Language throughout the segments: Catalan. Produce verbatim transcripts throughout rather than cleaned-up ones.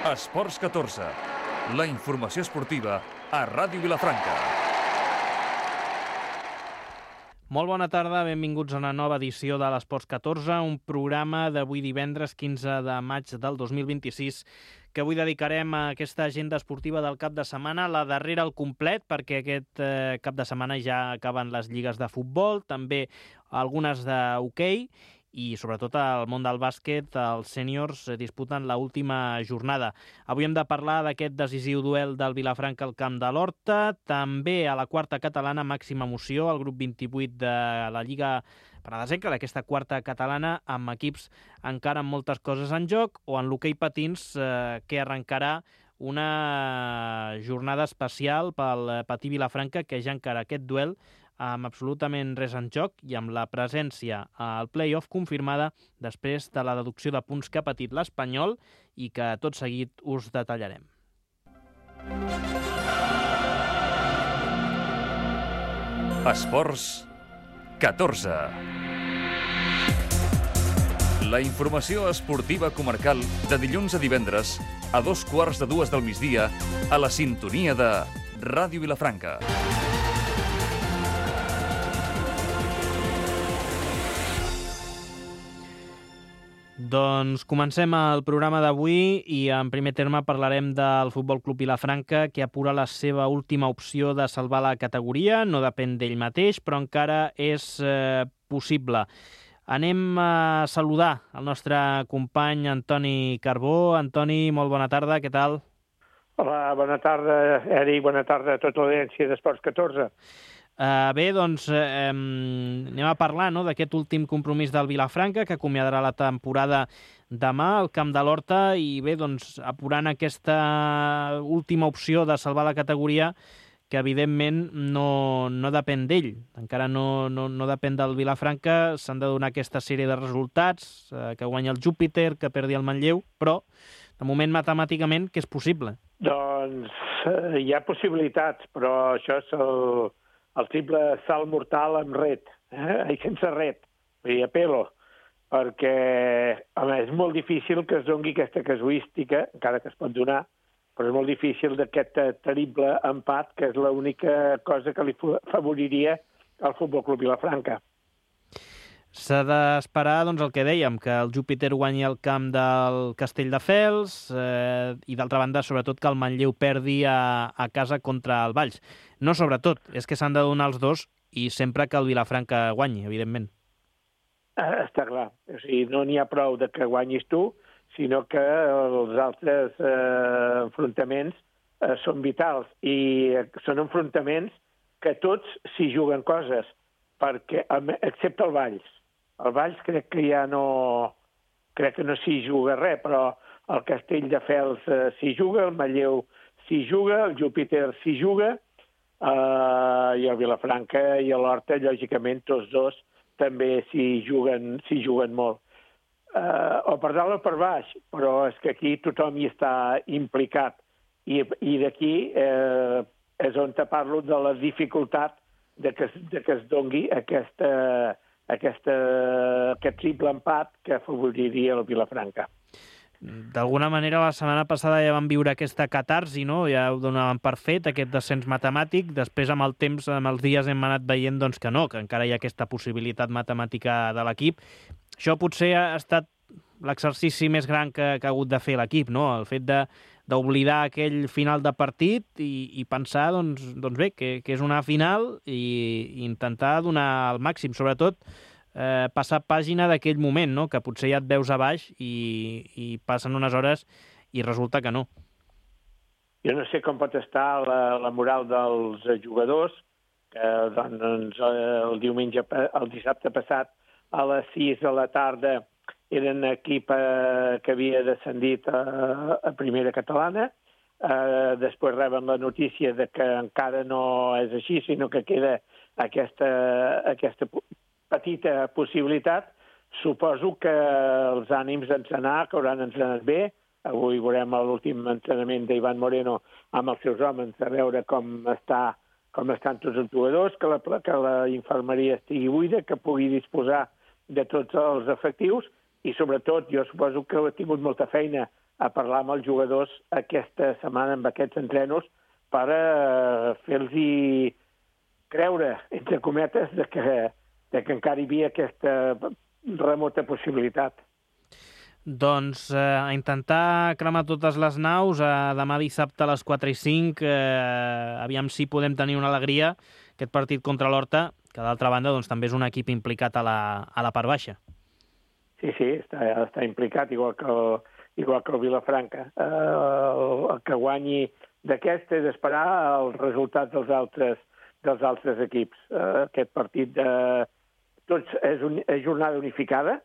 Esports catorze, la informació esportiva a Ràdio Vilafranca. Molt bona tarda, benvinguts a una nova edició de l'Esports catorze, un programa d'avui divendres quinze de maig del dos mil vint-i-sis que avui dedicarem a aquesta agenda esportiva del cap de setmana, la darrera al complet, perquè aquest eh, cap de setmana ja acaben les lligues de futbol, també algunes d'hoquei, i sobretot al món del bàsquet els sèniors disputen l'última jornada. Avui hem de parlar d'aquest decisiu duel del Vilafranca al camp de l'Horta, també a la quarta catalana màxima emoció, el grup vint-i-vuit de la Lliga Penedesenca, d'aquesta quarta catalana, amb equips encara amb moltes coses en joc, o en l'hoquei patins, eh, que arrencarà una jornada especial pel Patí Vilafranca, que ja encara aquest duel amb absolutament res en joc i amb la presència al play-off confirmada després de la deducció de punts que ha patit l'Espanyol i que tot seguit us detallarem. Esports catorze. La informació esportiva comarcal de dilluns a divendres a dos quarts de dues del migdia a la sintonia de Ràdio Vilafranca. Doncs comencem el programa d'avui i en primer terme parlarem del Futbol Club Vilafranca, que apura la seva última opció de salvar la categoria. No depèn d'ell mateix, però encara és eh, possible. Anem a saludar el nostre company Antoni Carbó. Antoni, molt bona tarda, què tal? Hola, bona tarda, Eric, bona tarda a tota l'audiència d'Esports catorze. Uh, bé, doncs eh, anem a parlar no, d'aquest últim compromís del Vilafranca, que acomiadarà la temporada demà al camp de l'Horta, i bé, doncs apurant aquesta última opció de salvar la categoria, que evidentment no, no depèn d'ell. Encara no, no, no depèn del Vilafranca, s'han de donar aquesta sèrie de resultats, eh, que guanya el Júpiter, que perdi el Manlleu, però de moment matemàticament que és possible. Doncs eh, hi ha possibilitats, però això és el... el triple salt mortal amb ret, eh? I sense ret, vull dir, a pelo, perquè home, és molt difícil que es doni aquesta casuística, encara que es pot donar, però és molt difícil d'aquest terrible empat, que és l'única cosa que li favoriria al Futbol Club Vilafranca. S'ha d'esperar, doncs, el que dèiem, que el Júpiter guanyi el camp del Castelldefels eh, i, d'altra banda, sobretot, que el Manlleu perdi a, a casa contra el Valls. No sobretot, és que s'han de donar els dos i sempre que el Vilafranca guanyi, evidentment. Eh, està clar. O sigui, no n'hi ha prou de que guanyis tu, sinó que els altres eh, enfrontaments eh, són vitals i són enfrontaments que tots s'hi juguen coses, perquè, excepte el Valls. El Valls crec que ja no... crec que no s'hi juga res, però el Castelldefels eh, s'hi juga, el Manlleu s'hi juga, el Júpiter s'hi juga, eh, i el Vilafranca i l'Horta, lògicament, tots dos també s'hi juguen, s'hi juguen molt. Eh, o per dalt o per baix, però és que aquí tothom hi està implicat. I, i d'aquí eh, és on te parlo de la dificultat de que, de que es doni aquesta, aquesta, aquest triple empat que afavoriria el Vilafranca. D'alguna manera, la setmana passada ja vam viure aquesta catarsi, no? Ja ho donàvem per fet, aquest descens matemàtic. Després, amb el temps, amb els dies, hem anat veient doncs, que no, que encara hi ha aquesta possibilitat matemàtica de l'equip. Això potser ha estat l'exercici més gran que, que ha hagut de fer l'equip, no? El fet de d'oblidar aquell final de partit i, i pensar doncs, doncs bé, que, que és una final i, i intentar donar el màxim, sobretot eh, passar pàgina d'aquell moment, no? Que potser ja et veus a baix i, i passen unes hores i resulta que no. Jo no sé com pot estar la, la moral dels jugadors, que doncs, el diumenge, el dissabte passat a les sis de la tarda eren equip eh, que havia descendit a, a primera catalana. Eh, després reben la notícia de que encara no és així, sinó que queda aquesta, aquesta petita possibilitat. Suposo que els ànims d'entrenar, que hauran entrenat bé. Avui veurem l'últim entrenament d'Ivan Moreno amb els seus homes, a veure com, està, com estan tots els jugadors, que la, que la infermeria estigui buida, que pugui disposar de tots els efectius, i sobretot jo suposo que ha tingut molta feina a parlar amb els jugadors aquesta setmana amb aquests entrenos per uh, fer-los creure, entre cometes, de que, de que encara hi havia aquesta remota possibilitat. Doncs eh, a intentar cremar totes les naus, eh, demà dissabte a les quatre i cinc, eh, aviam si podem tenir una alegria, aquest partit contra l'Horta, que d'altra banda doncs, també és un equip implicat a la, a la part baixa. Sí, sí, està, està implicat, igual que el, igual que el Vilafranca. Eh, el, el que guanyi d'aquesta és esperar els resultats dels altres, dels altres equips. Eh, aquest partit de... Tots és, un, és jornada unificada,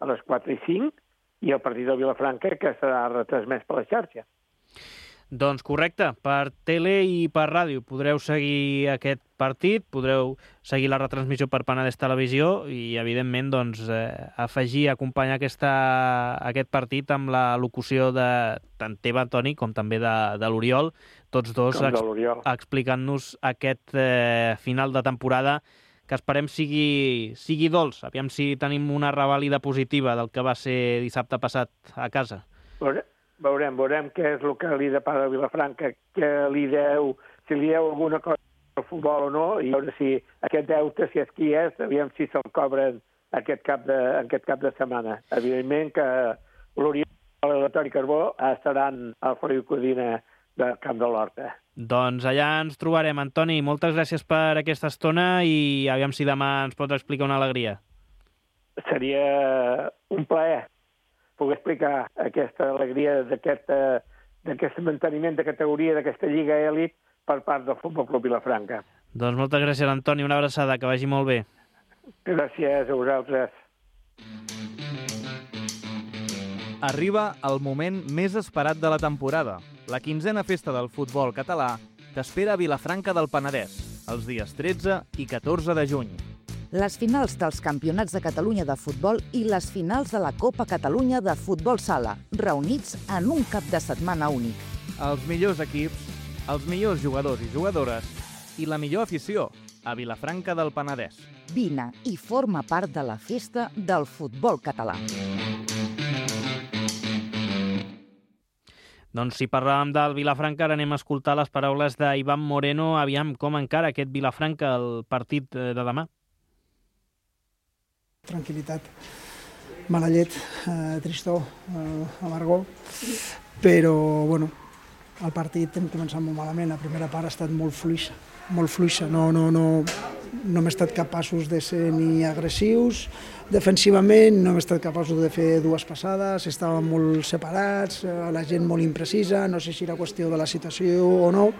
a les quatre i cinc, i el partit del Vilafranca, que serà retransmès per la xarxa. Doncs correcte, per tele i per ràdio podreu seguir aquest partit, podreu seguir la retransmissió per Penedès Televisió i, evidentment, doncs, eh, afegir, acompanyar aquesta, aquest partit amb la locució de tant teva, Toni, com també de, de l'Oriol, tots dos ex explicant-nos aquest eh, final de temporada que esperem sigui, sigui dolç. Aviam si tenim una revàlida positiva del que va ser dissabte passat a casa. Veurem, veurem què és el que li depara a Vilafranca, que li deu, si li deu alguna cosa al futbol o no, i veure si aquest deute, si és qui és, aviam si se'l cobren aquest cap de, aquest cap de setmana. Evidentment que l'Oriol i la Toni Carbó estaran al Feliu Codina del Camp de l'Horta. Doncs allà ens trobarem, Antoni. Moltes gràcies per aquesta estona i aviam si demà ens pots explicar una alegria. Seria un plaer poder explicar aquesta alegria d'aquest manteniment de categoria d'aquesta Lliga Elit per part del Futbol Club Vilafranca. Doncs moltes gràcies, Antoni. Una abraçada, que vagi molt bé. Gràcies a vosaltres. Arriba el moment més esperat de la temporada. La quinzena festa del futbol català t'espera a Vilafranca del Penedès, els dies tretze i catorze de juny. Les finals dels Campionats de Catalunya de futbol i les finals de la Copa Catalunya de futbol sala, reunits en un cap de setmana únic. Els millors equips, els millors jugadors i jugadores i la millor afició a Vilafranca del Penedès. Vine i forma part de la festa del futbol català. Doncs si parlàvem del Vilafranca, ara anem a escoltar les paraules d'Ivan Moreno. Aviam com encara aquest Vilafranca el partit de demà. Tranquil·litat, mala llet, eh, tristor, eh, amargor, però bueno, el partit hem començat molt malament, la primera part ha estat molt fluixa, molt fluixa, no, no, no, no hem estat capaços de ser ni agressius defensivament, no hem estat capaços de fer dues passades, estàvem molt separats, la gent molt imprecisa, no sé si era qüestió de la situació o no,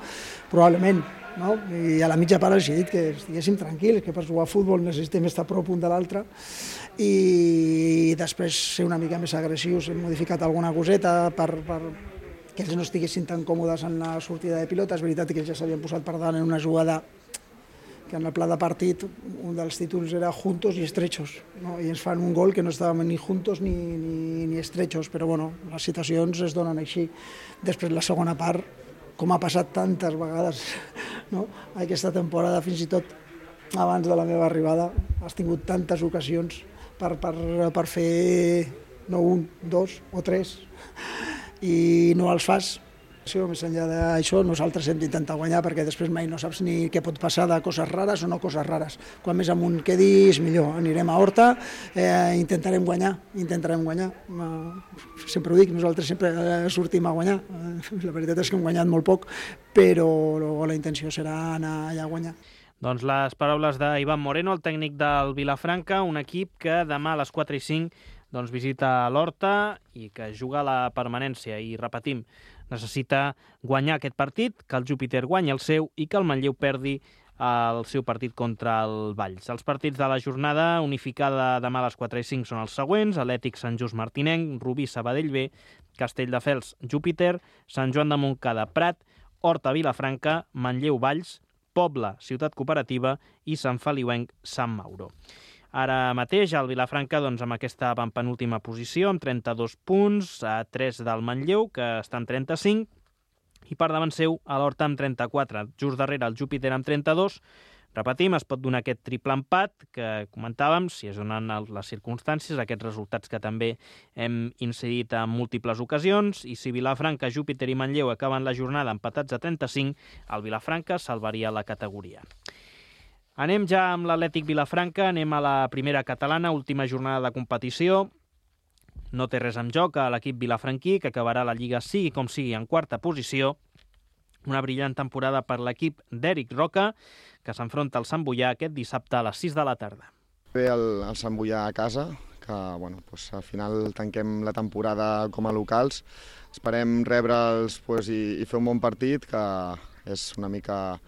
probablement. No? I a la mitja part els he dit que estiguéssim tranquils, que per jugar a futbol necessitem estar a prop un de l'altre i després ser una mica més agressius, hem modificat alguna coseta per, per que ells no estiguessin tan còmodes en la sortida de pilota. És veritat que ells ja s'havien posat per davant en una jugada que en el pla de partit un dels títols era juntos i estrechos, no? I ens fan un gol que no estàvem ni juntos ni, ni, ni estrechos, però bueno, les situacions es donen així. Després la segona part, com ha passat tantes vegades, no? Aquesta temporada, fins i tot abans de la meva arribada, has tingut tantes ocasions per, per, per fer no un, dos o tres, i no els fas. Més enllà d'això, nosaltres hem d'intentar guanyar perquè després mai no saps ni què pot passar de coses rares o no coses rares. Quan més amunt quedis, millor. Anirem a Horta, eh, intentarem guanyar, intentarem guanyar. Eh, sempre ho dic, nosaltres sempre sortim a guanyar. Eh, la veritat és que hem guanyat molt poc, però la intenció serà anar allà a guanyar. Doncs les paraules d'Ivan Moreno, el tècnic del Vilafranca, un equip que demà a les quatre i cinc doncs, visita l'Horta i que juga a la permanència. I repetim, necessita guanyar aquest partit, que el Júpiter guanyi el seu i que el Manlleu perdi el seu partit contra el Valls. Els partits de la jornada unificada demà a les quatre i cinc són els següents: Atlètic Sant Just Martinenc, Rubí Sabadell B, Castelldefels Júpiter, Sant Joan de Montcada Prat, Horta Vilafranca, Manlleu Valls, Pobla Ciutat Cooperativa i Sant Feliuenc Sant Mauro. Ara mateix el Vilafranca doncs, amb aquesta penúltima posició, amb trenta-dos punts, a tres del Manlleu, que està en trenta-cinc, i per davant seu a l'Horta amb trenta-quatre. Just darrere el Júpiter amb trenta-dos, Repetim, es pot donar aquest triple empat que comentàvem, si es donen les circumstàncies, aquests resultats que també hem incidit en múltiples ocasions, i si Vilafranca, Júpiter i Manlleu acaben la jornada empatats a trenta-cinc, el Vilafranca salvaria la categoria. Anem ja amb l'Atlètic Vilafranca, anem a la primera catalana, última jornada de competició. No té res en joc a l'equip vilafranquí, que acabarà la Lliga sigui com sigui en quarta posició. Una brillant temporada per l'equip d'Eric Roca, que s'enfronta al Sant Boià aquest dissabte a les sis de la tarda. Bé, el, el Sant Boià a casa, que bueno, doncs, al final tanquem la temporada com a locals. Esperem rebre'ls doncs, i, i fer un bon partit, que és una mica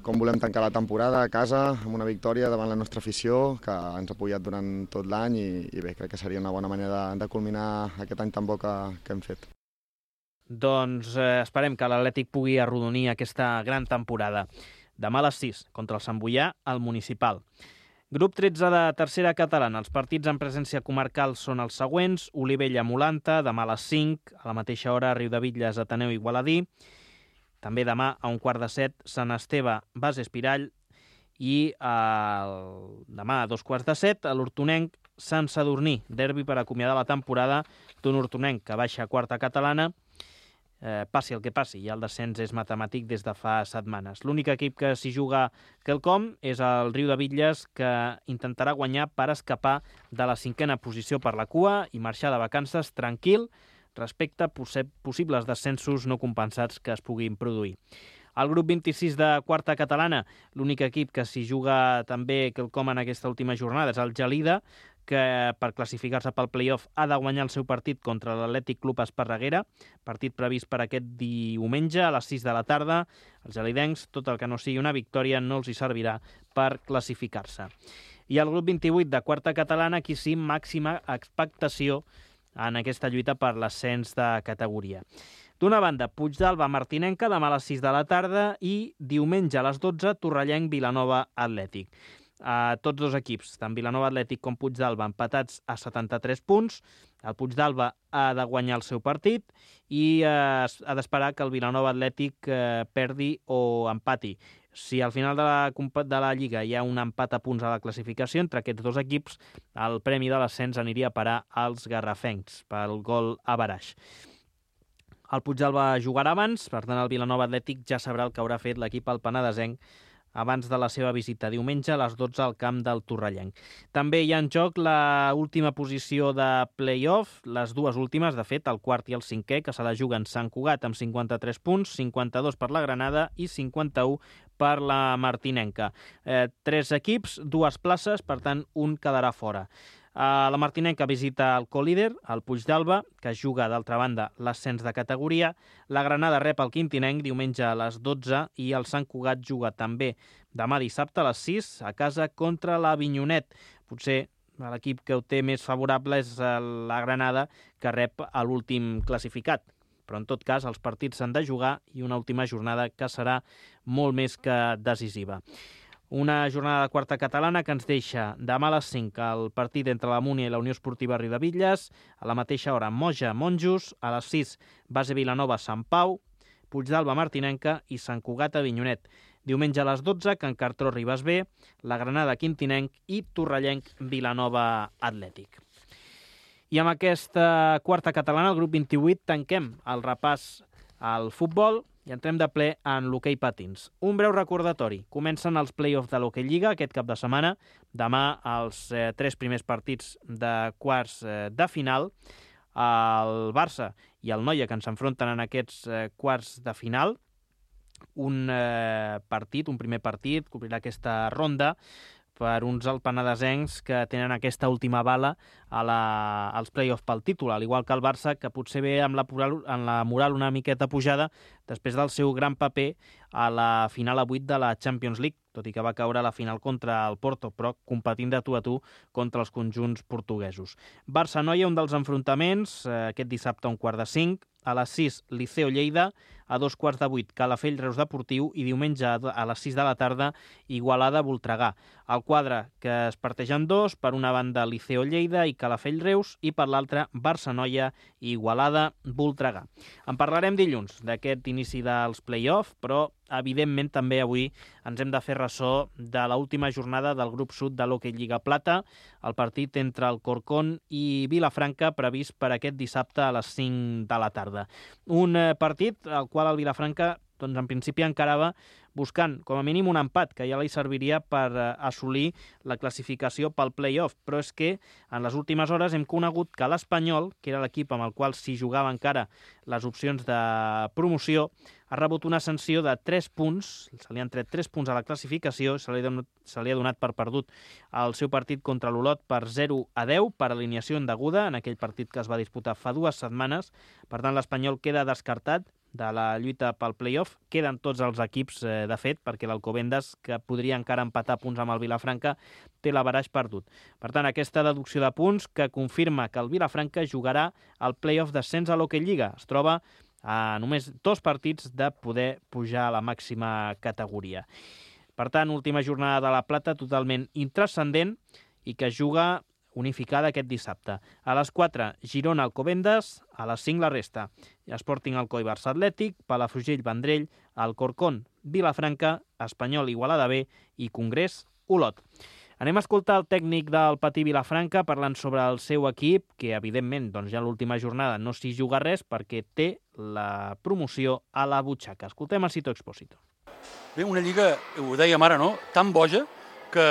com volem tancar la temporada a casa, amb una victòria davant la nostra afició, que ens ha apoyat durant tot l'any, i, i bé, crec que seria una bona manera de, de culminar aquest any tan bo que, que hem fet. Doncs eh, esperem que l'Atlètic pugui arrodonir aquesta gran temporada. Demà a les sis, contra el Sant Boià, al Municipal. Grup tretze de tercera catalana. Els partits en presència comarcal són els següents. Olivella-Molanta, demà a les cinc, a la mateixa hora, Riudebitlles, Ateneu Igualadí. També demà a un quart de set, Sant Esteve, Base Espirall. I el... demà a dos quarts de set, a l'Hortonenc, Sant Sadurní, derbi per acomiadar la temporada d'un Hortonenc que baixa a quarta catalana. Eh, passi el que passi, ja el descens és matemàtic des de fa setmanes. L'únic equip que s'hi juga quelcom és el Riudebitlles, que intentarà guanyar per escapar de la cinquena posició per la cua i marxar de vacances tranquil respecte a possibles descensos no compensats que es puguin produir. Al grup vint-i-sis de quarta catalana, l'únic equip que s'hi juga també quelcom en aquesta última jornada és el Gelida, que per classificar-se pel play-off ha de guanyar el seu partit contra l'Atlètic Club Esparreguera, partit previst per aquest diumenge a les sis de la tarda. Els gelidencs, tot el que no sigui una victòria, no els hi servirà per classificar-se. I al grup vint-i-vuit de quarta catalana, aquí sí, màxima expectació en aquesta lluita per l'ascens de categoria. D'una banda, Puigdàlber Martinenca, demà a les sis de la tarda, i diumenge a les dotze, Torrellenc Vilanova Atlètic. A tots dos equips, tant Vilanova Atlètic com Puigdàlber, empatats a setanta-tres punts. El Puigdàlber ha de guanyar el seu partit i eh, ha d'esperar que el Vilanova Atlètic eh, perdi o empati. Si al final de la, de la Lliga hi ha un empat a punts a la classificació entre aquests dos equips, el premi de l'ascens aniria a parar als garrafencs pel gol a baraix. El Puigdàlber jugarà abans, per tant el Vilanova Atlètic ja sabrà el que haurà fet l'equip al Penedesenc abans de la seva visita diumenge a les dotze al camp del Torrellenc. També hi ha en joc la última posició de play-off, les dues últimes, de fet, el quart i el cinquè, que se la juguen Sant Cugat amb cinquanta-tres punts, cinquanta-dos per la Granada i cinquanta-u per la Martinenca. Eh, tres equips, dues places, per tant, un quedarà fora. La Martinenca visita el colíder, el Puigdàlber, que juga, d'altra banda, l'ascens de categoria. La Granada rep el Quintinenc diumenge a les dotze i el Sant Cugat juga també demà dissabte a les sis a casa contra l'Avinyonet. Potser l'equip que ho té més favorable és la Granada, que rep l'últim classificat. Però en tot cas els partits s'han de jugar i una última jornada que serà molt més que decisiva. Una jornada de quarta catalana que ens deixa demà a les cinc el partit entre la Múnia i la Unió Esportiva Riudebitlles, a la mateixa hora Moja Monjos, a les sis Base Vilanova Sant Pau, Puigdàlber Martinenca i Sant Cugat Avinyonet. Diumenge a les dotze Can Cartró Ribes B, la Granada Quintinenc i Torrellenc Vilanova Atlètic. I amb aquesta quarta catalana, el grup vint-i-vuit, tanquem el repàs al futbol i entrem de ple en l'hoquei patins. Un breu recordatori. Comencen els play-offs de l'Hoquei Lliga aquest cap de setmana. Demà els eh, tres primers partits de quarts eh, de final. El Barça i el Noia, que ens enfronten en aquests eh, quarts de final. Un eh, partit, un primer partit, cobrirà aquesta ronda per uns alpenadesencs que tenen aquesta última bala a la, als play-off pel títol, al igual que el Barça, que potser ve amb la, amb la moral una miqueta pujada després del seu gran paper a la final a vuit de la Champions League, tot i que va caure a la final contra el Porto, però competint de tu a tu contra els conjunts portuguesos. Barça-Noia, un dels enfrontaments, eh, aquest dissabte a un quart de cinc, a les sis Liceo Lleida, a dos quarts de vuit Calafell Reus Deportiu i diumenge a les sis de la tarda Igualada Voltregà. El quadre que es parteix en dos, per una banda Liceo Lleida i Calafell Reus i per l'altra Barça-Noia i Igualada Voltregà. En parlarem dilluns d'aquest inici dels play-off, però evidentment també avui ens hem de fer ressò de l'última jornada del grup sud de l'Hockey Lliga Plata, el partit entre el Corcón i Vilafranca previst per aquest dissabte a les cinc de la tarda. Un partit al qual el Vilafranca doncs, en principi encarava buscant com a mínim un empat que ja li serviria per assolir la classificació pel play-off, però és que en les últimes hores hem conegut que l'Espanyol, que era l'equip amb el qual s'hi jugava encara les opcions de promoció, ha rebut una sanció de tres punts, se li han tret tres punts a la classificació, se li ha donat, se li ha donat per perdut el seu partit contra l'Olot per zero a deu, per alineació indeguda, en aquell partit que es va disputar fa dues setmanes. Per tant, l'Espanyol queda descartat de la lluita pel play-off. Queden tots els equips, eh, de fet, perquè l'Alcobendas, que podria encara empatar punts amb el Vilafranca, té l'averaix perdut. Per tant, aquesta deducció de punts que confirma que el Vilafranca jugarà al play-off d'ascens a l'Hockey Lliga. Es troba a només dos partits de poder pujar a la màxima categoria. Per tant, última jornada de la Plata totalment intranscendent i que juga unificada aquest dissabte. A les quatre, Girona Alcobendas, a les cinc la resta. Sporting Alcoi Barça Atlètic, Palafrugell Vendrell, Alcorcón Vilafranca, Espanyol Igualada B i Congrés Olot. Anem a escoltar el tècnic del Patí Vilafranca parlant sobre el seu equip, que evidentment doncs, ja a l'última jornada no s'hi juga res perquè té la promoció a la butxaca. Escoltem a Sito Expósito. Bé, una lliga, ho dèiem ara, no?, tan boja, que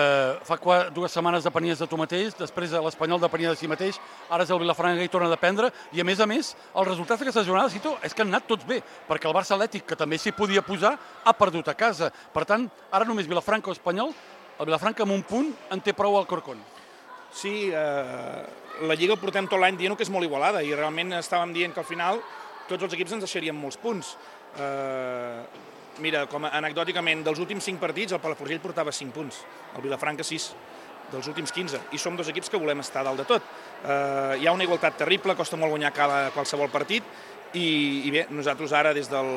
fa dues setmanes depenies de tu mateix, després l'Espanyol depenia de si mateix, ara és el Vilafranca i torna a dependre, i a més a més, els resultats d'aquesta jornada, Cito, és que han anat tots bé, perquè el Barça Atlètic, que també s'hi podia posar, ha perdut a casa. Per tant, ara només Vilafranca o Espanyol, el Vilafranca amb un punt en té prou al Corcón. Sí, eh, la Lliga ho portem tot l'any dient que és molt igualada, i realment estàvem dient que al final tots els equips ens deixarien molts punts. Eh, Mira, com anecdòticament, dels últims cinc partits, el Palafrugell portava cinc punts, el Vilafranca sis, dels últims quinze, i som dos equips que volem estar dalt de tot. Eh, hi ha una igualtat terrible, costa molt guanyar cada, qualsevol partit, i, i bé, nosaltres ara, des del,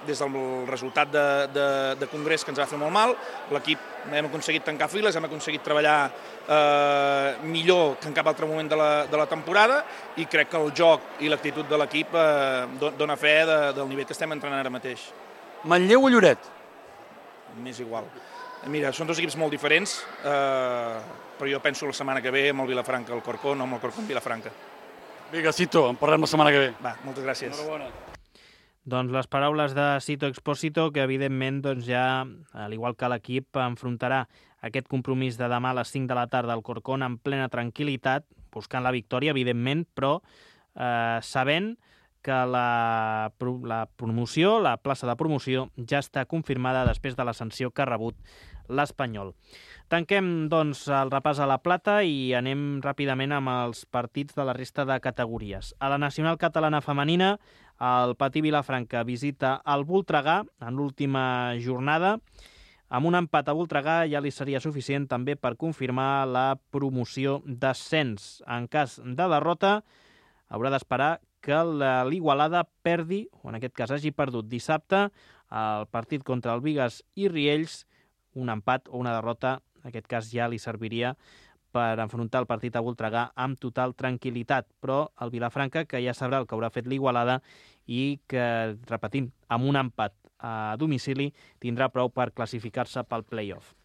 des del resultat de, de, de Congrés, que ens va fer molt mal, l'equip hem aconseguit tancar files, hem aconseguit treballar eh, millor que en cap altre moment de la, de la temporada, i crec que el joc i l'actitud de l'equip eh, dona fe de, del nivell que estem entrenant ara mateix. Manlleu o Lloret? M'és igual. Mira, són dos equips molt diferents, eh, però jo penso la setmana que ve amb el Vilafranca, el Corcón, o amb el Corcón Vilafranca. Vinga, Cito, en parlem la setmana que ve. Va, moltes gràcies. Enhorabona. Doncs les paraules de Sito Expósito, que evidentment doncs ja, al igual que l'equip, enfrontarà aquest compromís de demà a les cinc de la tarda al Corcón en plena tranquil·litat, buscant la victòria, evidentment, però eh, sabent que la, la promoció, la plaça de promoció, ja està confirmada després de la sanció que ha rebut l'Espanyol. Tanquem, doncs, el repàs a la Plata i anem ràpidament amb els partits de la resta de categories. A la Nacional Catalana Femenina, el Patí Vilafranca visita el Voltregà en l'última jornada. Amb un empat a Voltregà ja li seria suficient també per confirmar la promoció d'ascens. En cas de derrota, haurà d'esperar que l'Igualada perdi, o en aquest cas hagi perdut dissabte, el partit contra el Bigues i Riells, un empat o una derrota, en aquest cas ja li serviria per enfrontar el partit a Voltregà amb total tranquil·litat. Però el Vilafranca, que ja sabrà el que haurà fet l'Igualada i que, repetim, amb un empat a domicili, tindrà prou per classificar-se pel play-off.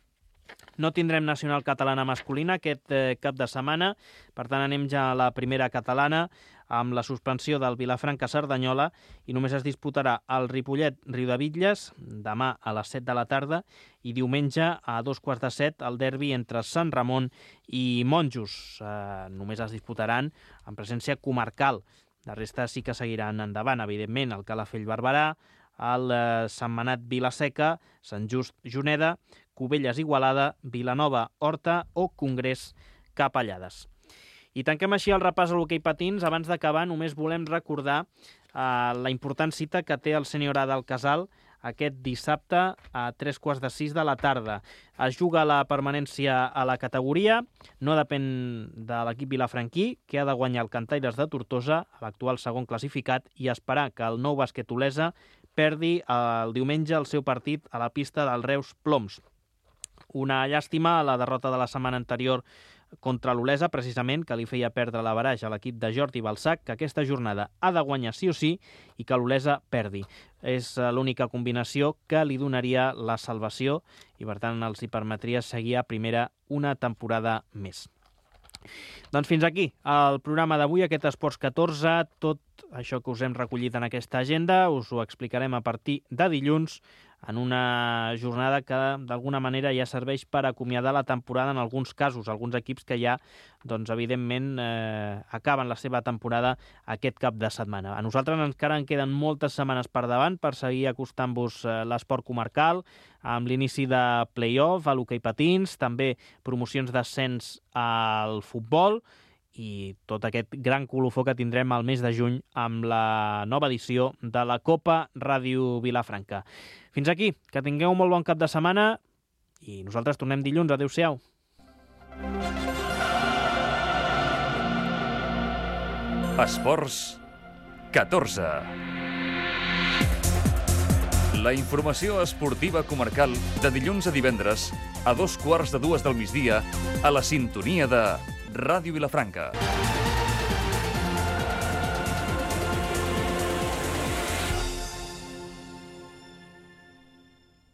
No tindrem Nacional Catalana masculina aquest eh, cap de setmana, per tant anem ja a la primera catalana amb la suspensió del Vilafranca-Cerdanyola i només es disputarà el Ripollet-Riudebitlles demà a les set de la tarda i diumenge a dos quarts de set el derbi entre Sant Ramon i Monjos. Eh, només es disputaran en presència comarcal. La resta sí que seguiran endavant, evidentment, el Calafell-Barberà, el eh, Sentmenat Vilaseca, Sant Just Juneda, Cubelles Igualada, Vilanova Horta o Congrés Capellades. I tanquem així el repàs a l'hoquei patins. Abans d'acabar, només volem recordar eh, la important cita que té el sènior A del Casal aquest dissabte a tres quarts de sis de la tarda. Es juga la permanència a la categoria, no depèn de l'equip vilafranquí, que ha de guanyar el Cantaires de Tortosa, l'actual segon classificat, i esperar que el Nou Bàsquet Olesa perdi el diumenge el seu partit a la pista del Reus Ploms. Una llàstima la derrota de la setmana anterior contra l'Olesa, precisament, que li feia perdre l'averaix a l'equip de Jordi Balsac, que aquesta jornada ha de guanyar sí o sí i que l'Olesa perdi. És l'única combinació que li donaria la salvació i, per tant, els hi permetria seguir a primera una temporada més. Doncs fins aquí el programa d'avui, aquest Esports catorze, tot això que us hem recollit en aquesta agenda, us ho explicarem a partir de dilluns, en una jornada que d'alguna manera ja serveix per acomiadar la temporada en alguns casos, alguns equips que ja, doncs, evidentment, eh, acaben la seva temporada aquest cap de setmana. A nosaltres encara en queden moltes setmanes per davant per seguir acostant-vos eh, l'esport comarcal, amb l'inici de play-off a l'hoquei patins, també promocions d'ascens al futbol, i tot aquest gran colofó que tindrem al mes de juny amb la nova edició de la Copa Ràdio Vilafranca. Fins aquí, que tingueu un molt bon cap de setmana i nosaltres tornem dilluns. Adéu-siau. Esports catorze. La informació esportiva comarcal de dilluns a divendres a dos quarts de dues del migdia a la sintonia de Ràdio Vilafranca.